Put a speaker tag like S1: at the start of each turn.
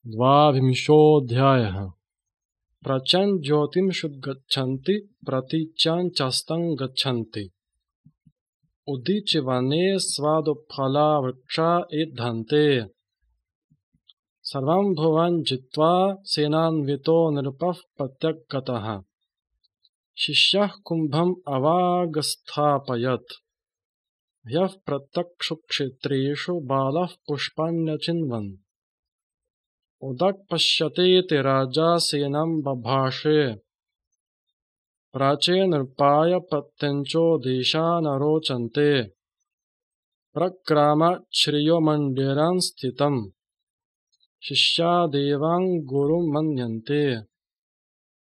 S1: द्वाविंशोऽध्यायः। प्रचं ज्योतिषमुद्गच्छन्ति प्रतीच्याञ्चस्तं गच्छन्ति। उदीच्य वने स्वादुफला वृक्षा एधन्ते। सर्वं भुवनं जित्वा सेनान्वितो नृपः प्रत्यगतः। शिष्यः कुम्भम् अवागस्थापयत्। ह्यः प्रत्यक्षक्षेत्रेषु बालः पुष्पाण्यचिन्वन्। उदक् पश्यतीति राजा सेनं बभाषे। प्राचे नृपाय प्रत्यञ्चो देशा न रोचन्ते। प्रक्रामात् श्रियोमण्डिरं स्थितम्। शिष्या देवां गुरुं मन्यन्ते।